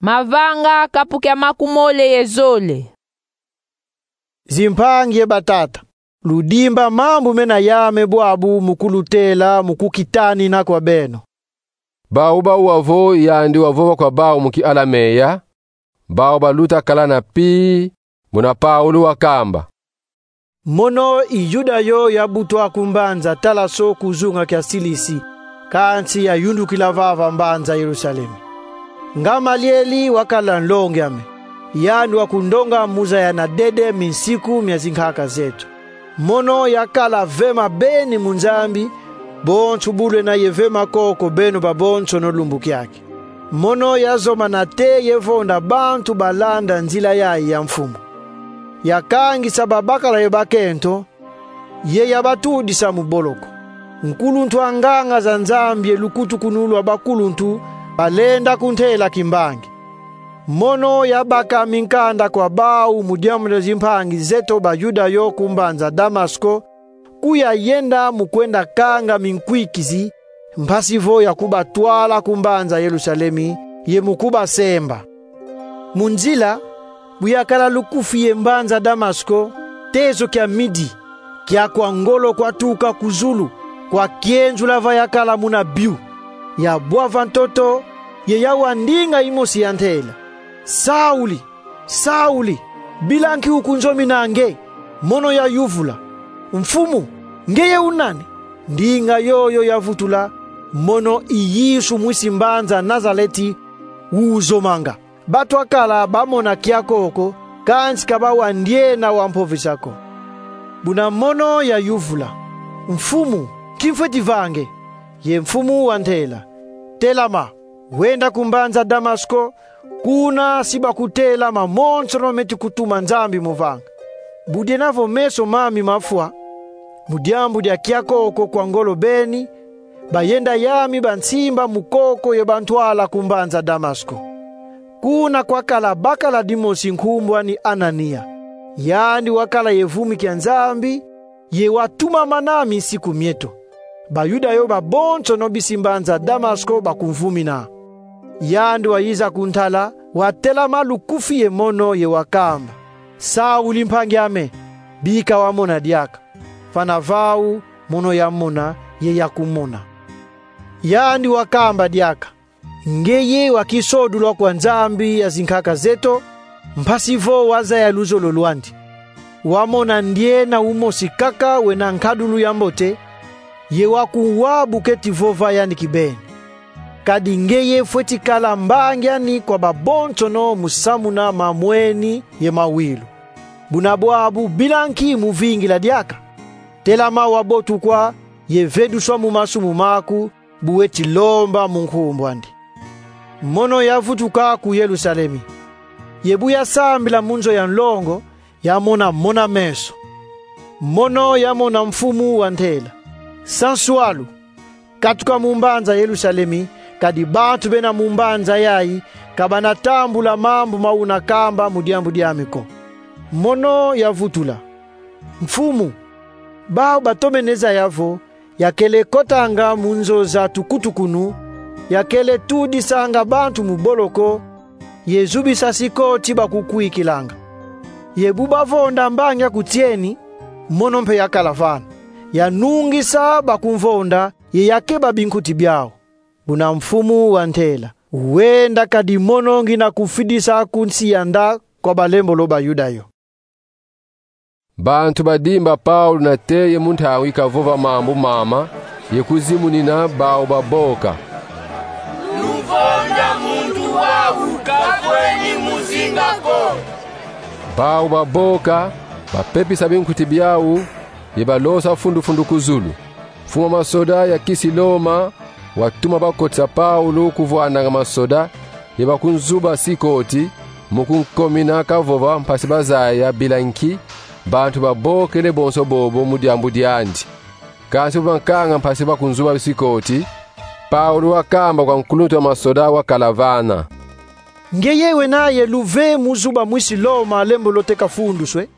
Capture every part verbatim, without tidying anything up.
Mavanga kapu kia makumole ye zole. Zimpangi ye batata, ludimba mambu mena yame bwabu mu kulutela mu kukitanina kwa beno. Bau bawuwa vo yandi wavova kwa bau mu kialameya, bau baluta kala na pi, muna Paulu wakamba: Mono i Yuda yo yabutwa ku mbanza Talaso ku zunga kia Silisi, kansi yayundukila vava mbanza Yerusalemi. Ngamalieli wakala nlongi ame, yandi wakundonga mu zaya na dede minsiku mia zinkaka zeto. Mono yakala vema beni mu Nzambi, bonso bu lwena ye vema koko beno babonsono lumbu kiaki. Mono yazomana te ye vonda bantu balanda nzila yayi ya Mfumu. Yakangisa babakala ye bakento, ye yabatudisa mu boloko. Nkuluntu a nganga za Nzambi ye lukutukunu lwa bakuluntu balenda kuntela kimbangi. Mono yabaka minkanda kwa bau mu diambu dia zimpangi zeto Bayuda yo ku mbanza Damasko, ku yayenda mu kwenda kanga minkwikizi, mpasi vo yakubatwala ku mbanza Yerusalemi, ye mu kubasemba. Mu nzila, bu yakala lukufi ye mbanza Damasko, tezo kia midi, kia kwa ngolo kwatuka ku zulu, kwa kienzula va yakala muna biu. Yabwa va ntoto, ye yawa ndinga imosi ya ntela: Sauli, Sauli, bila nki ukunzomina nge? Mono yayuvula: Mfumu, ngeye u nani? Ndinga yoyo yavutula: Mono i Yesu mwisi mbanza Nazaleti, wuzomanga. Bantu akala bamona kiakoko, kansi ka bawa ndiena wampovesa ko. Buna mono yayuvula: Mfumu, nki mfweti vanga? Ye Mfumu wantela: Telama, wenda ku mbanza Damasko, kuna si bakutela mamonsono meti kutuma Nzambi mu vanga. Bu diena vo meso mami mafwa, mu diambu dia kiakoko kwa ngolo beni, bayenda yami bansimba mu koko ye bantwala ku mbanza Damasko. Kuna kwakala bakala dimosi nkumbu ani Anania. Yandi wakala ye vumi kia Nzambi, ye watumamana minsiku mieto. Bayuda yo babonsono bisi mbanza Damasko bakumvumina. Yandi wayiza kuntala, watelama lukufi ye mono ye wakamba: Sauli mpangi ame, bika wamona diaka. Vana vau, mono yamona, ye yakumona. Yandi wakamba diaka: Ngeye wa kisodulwa kwa Nzambi ya zinkaka zeto, mpasi vo wazaya luzolo lwandi. Wamona ndiena umosi kaka wena nkadulu ya mbote, ye wakuwa bu keti vova yandi kibeni. Kadi ngeye fweti kala mbangi ani kwa babonsono mu samuna mamweni ye mawilu. Buna bwabu bila nki muvingila diaka? Telama wabotukwa, ye veduswa mu masumu maku, bu weti lomba mu nkumbu andi. Mono yavutuka ku Yerusalemi. Ye bu yasambila mu nzo ya nlongo, yamona mona-meso. Mono yamona Mfumu wantela: Sanswalu, katuka mu mbanza Yerusalemi, kadi bantu bena mu mbanza yayi ka bana tambula mambu ma una kamba mu diambu diami ko. Mono yavutula: Mfumu, bau batomene zaya vo yakele kotanga mu nzo za tukutukunu, yakele tudisanga bantu mu boloko, ye zubisa sikoti bakukwikilanga. Ye bu bavonda mbangi akutieni, mono mpe yakala vana. Yanungisa bakumvonda, ye yakeba binkuti biau. Buna Mfumu wantela: Wenda, kadi mono ngina kufidisa ku nsi ya nda kwa balembolo Bayuda yo. Bantu badimba Paulu nate ye mu ntangu ikavova mambu mama, ye kuzimunina, bau baboka: Luvonda muntu wau kavweni muzinga ko. Bau baboka, bapepisa binkuti biau, ye balosa fundu-fundu ku zulu. Mfumu a masoda ya kisi Loma watuma bakotisa Paulu ku vwandanga masoda, ye bakunzuba sikoti, mu kunkomina kavova mpasi bazaya bila nki bantu babokele bonso bobo mu diambu diandi. Kansi bu bankanga mpasi bakunzuba sikoti, Paulu wakamba kwa nkuluntu wa masoda wakala vana: Ngeye wena ye luve mu zuba mwisi Loma lembolo te kafunduswe?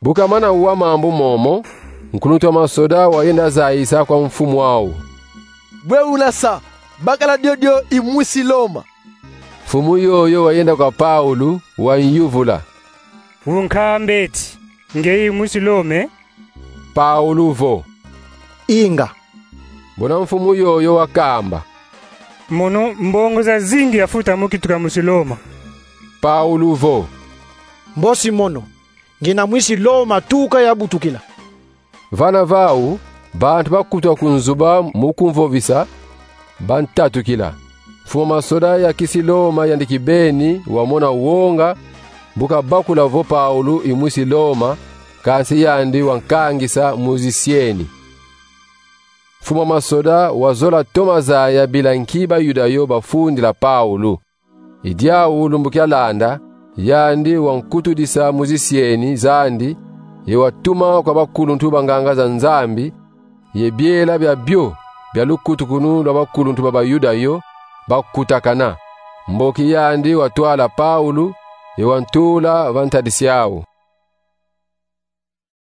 Bu kamana wa mambu momo, nkuluntu wa masoda wayenda zayisa kwa mfumu au: Bwe una sa, bakala diodio i mwisi Loma. Mfumu yoyo wayenda kwa Paulo, wanyuvula: Unkamba eti ngeye mwisi Loma? Paulo vo: Inga. Bona mfumu yoyo wakamba: Mono mbongo zazingi yafuta mu kituka mwisi Loma. Paulo vo: Mbosi mono, ngina mwisi Loma tuka yabutukila. Vana vau, bantu bakutuka ku nzuba mu kumvovisa, bantatukila. Mfumu a masoda ya kisi Loma yandi kibeni wamona wonga, bu kabakula vo Paulo i mwisi Loma, kansi yandi wankangisa mu zisieni. Mfumu a masoda wazola toma zaya bila nki Bayuda yo bafundila Paulo. I diau lumbu kialanda, yandi wankutudisa mu zisieni zandi, ye watuma kwa bakuluntu ba nganga za Nzambi, ye biela biabio bia lukutukunu lwa bakuluntu ba Bayuda yo bakutakana. Mboki yandi watwala Paulo, ye wantula va ntadisi au.